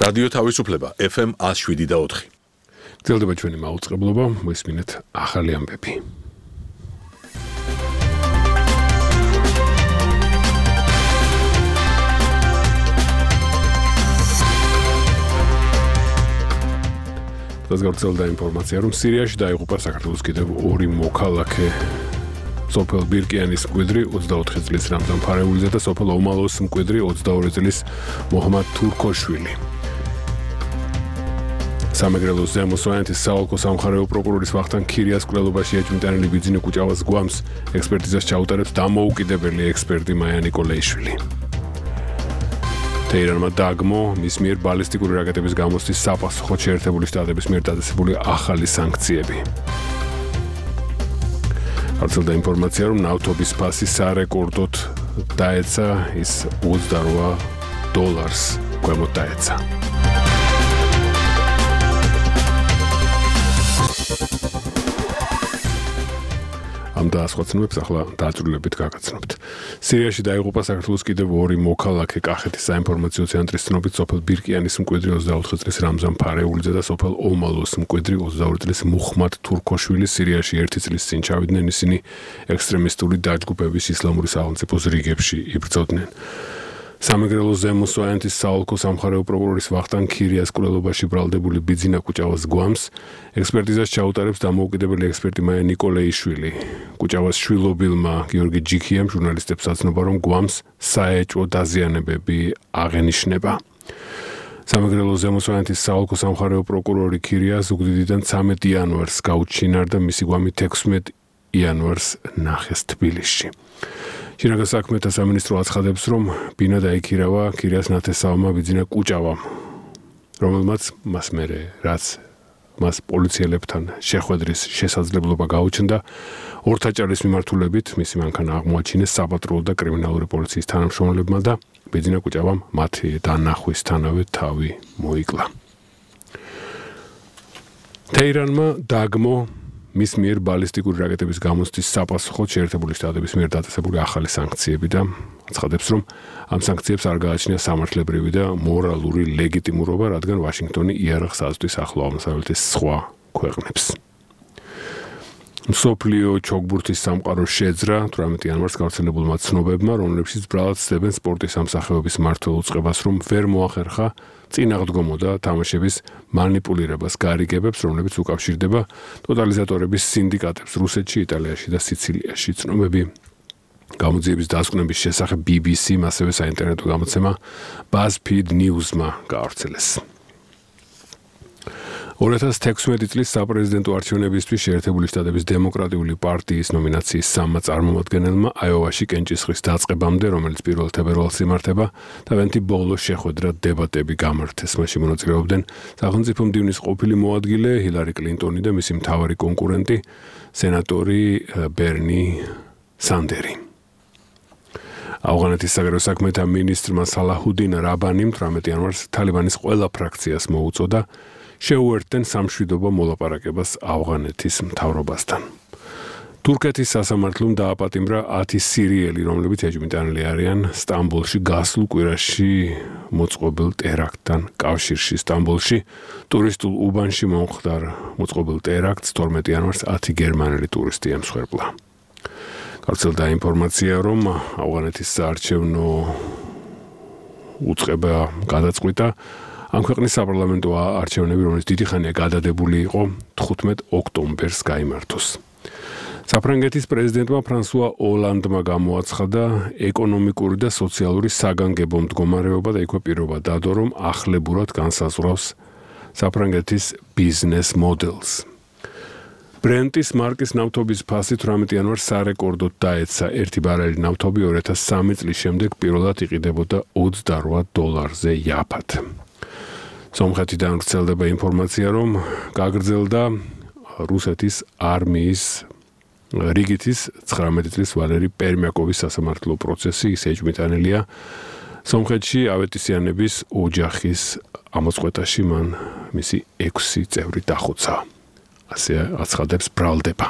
რადიო თავისუფლება FM 107.4. გრძელდება ჩვენი მაუწყებლობა, მოისმინეთ ახალი ამბები. დღეს გავრცელდა ინფორმაცია, რომ სირიაში დაიღუპა საქართველოს კიდევ ორი მოქალაქე. სოფელ ბირკიანის მკვიდრი 24 წლის რამზან ფარეულიძე და სოფელ ომალოს მკვიდრი 22 წლის მოჰამად თურქოშვილი. სამეგრელოს ზემო სვანეთის საოლქო სამხარეო პროკურორის ვახტანგ ქირიას კვლელობაში ეჭვმიტანილი ბიძინა კუჭავას გვამს ექსპერტიზას ჩაუტარებს დამოუკიდებელი ექსპერტი მაია ნიკოლეიშვილი. თეირანმა დაგმო მის მიერ ბალისტიკური რაკეტების გამოსთვის საპასუხოდ შეერთებული შტატების მიერ დადასტურებული ახალი სანქციები. გავრცელდა ინფორმაცია, რომ ნავთობის ფასი სარეკორდოდ დაეცა, ის $28 ქვემოთ დაეცა. ამ დაასხვაცნებს ახლა დაწვრილებით გაგაცნობთ. სირიაში დაიღუპა საქართველოს კიდევ ორი მოქალაქე. კახეთის საინფორმაციო ცენტრის ცნობით სოფელ ბირკიანის მკვიდრი 24 წლის რამზან ფარეულიძე და სოფელ ომალოს მკვიდრი 22 წლის მუჰმად თურქოშვილი სირიაში 1 წლის წინ ჩავიდნენ. ისინი ექსტრემისტული დაჯგუფების ისლამური სახელმწიფოს რიგებში იბრძოდნენ. სამეგრელოს ზემო სვანეთის საოლქო სამხარეო პროკურორის ვახტანგ ქირიას კვლელობაში ბრალდებული ბიძინა კუჭავას გვამს ექსპერტიზას ჩაუტარებს დამოუკიდებელი ექსპერტი მაია ნიკოლეიშვილი. კუჭავას შვილობილმა გიორგი ჯიქიამ ჟურნალისტებს აცნობა, რომ გვამს საეჭვო დაზიანებები აღენიშნება. სამეგრელოს ზემო სვანეთის საოლქო სამხარეო პროკურორი ქირია ზუგდიდიდან 13 იანვარს გაუჩინარდა, მისი გვამი 16 იანვარს ნახეს თბილისში. შინაგან საქმეთა სამინისტრო აცხადებს, რომ ბინა დაიქირავა ქირიას ნათესავმა ბიძინა კუჭავამ, რომელმაც მას მერე რაც მას პოლიციელებთან შეხვედრის შესაძლებლობა გაუჩნდა, ორთაჭარის მიმართულებით მისი მანქანა აღმოაჩინეს საპატრულო და კრიმინალური პოლიციის თანამშრომლებმა და ბიძინა კუჭავამ მათი დანახვისთანავე თავი მოიკლა. თეირანმა დაგმო მის მიერ ბალისტიკური რაკეტების გამოსთვის საპასუხოდ შეერთებული შტატების მიერ დაწესებული ახალი სანქციები და აცხადებს, რომ ამ სანქციებს არ გააჩნია სამართლებრივი და მორალური ლეგიტიმურობა, რადგან ვაშინგტონი იარაღს აწვდის ახლო აღმოსავლეთის სხვა ქვეყნებს. მსოფლიო ჩოგბურთის სამყარო შეძრა 18 იანვარს გავრცელებულმა ცნობებმა, რომლებშიც ბრალად ცდებენ სპორტის სამსახიობის მმართველ უწყებას, რომ ვერ მოახერხა წინაღდგომო და თამაშების მანიპულირებას გარიგებებს, რომლებიც უკავშირდება ტოტალიზატორების სინდიკატებს რუსეთში, იტალიაში და სიცილიაში. ცნობები გამოძიების დასკვნების შესახებ BBC-მ, ასევე საინტერნეტო გამოცემა BuzzFeed News-მა გაავრცელეს. 2016 წლის საპრეზიდენტო არჩევნებისთვის შეერთებული შტატების დემოკრატიული პარტიის ნომინაციის 3 წარმომადგენელმა აიოვაში კენჭისყრის დაწყებამდე, რომელიც 1 თებერვალს იმართება, თავიანთი ბოლო შეხვედრა დებატები გამართეს. მასში მონაწილეობდნენ სახელმწიფო მდივნის ყოფილი მოადგილე ჰილარი კლინტონი და მისი მთავარი კონკურენტი სენატორი ბერნი სანდერი. ავღანეთის საგარეო საქმეთა მინისტრმა სალაჰუდინ რაბანიმ 18 იანვარს თალიბანის ყველა ფრაქციას მოუწოდა შეუერთდნენ სამშვიდობო მოლაპარაკებას ავღანეთის მთავრობასთან. თურქეთის სასამართლომ დააპატიმრა 10 სირიელი, რომლებიც ეჭვმიტანილი არიან სტამბოლში გასულ კვირაში მოწყობილ ტერაქტთან კავშირში. სტამბოლში ტურისტულ უბანში მომხდარ მოწყობილ ტერაქტს 12 იანვარს 10 გერმანელი ტურისტი ემსხვერპლა. გავრცელდა ინფორმაცია, რომ ავღანეთის საარჩევნო უწყება გადაწყვიტა ამ ქვეყნის საპარლამენტო არჩევნები, რომელიც დიდი ხანია გადადებული იყო, 15 ოქტომბერს გაიმართოს. საფრანგეთის პრეზიდენტმა ფრანსუა ოლანდმა გამოაცხადა ეკონომიკური და სოციალური საგანგებო მდგომარეობა და იქვე პირობა დადო, რომ ახლებურად განსაზღვრავს საფრანგეთის ბიზნეს მოდელს. ბრენტის მარკის ნავთობის ფასი 18 იანვარს სარეკორდოდ დაეცა. 1 ბარელი ნავთობი 2003 წლის შემდეგ პირველად იყიდებოდა $28-ზე იაფად. სომხეთიდან ვრცელდება ინფორმაცია, რომ გაგრძელდა რუსეთის არმიის რიგითის 19 წლის ვალერი პერმიაკოვის სასამართლო პროცესი. ის ეჭვმიტანილია სომხეთში ავეტისიანების ოჯახის ამოწყვეტაში, მან მისი 6 წევრი დახოცა. ასე აცხადებს ბრალდება.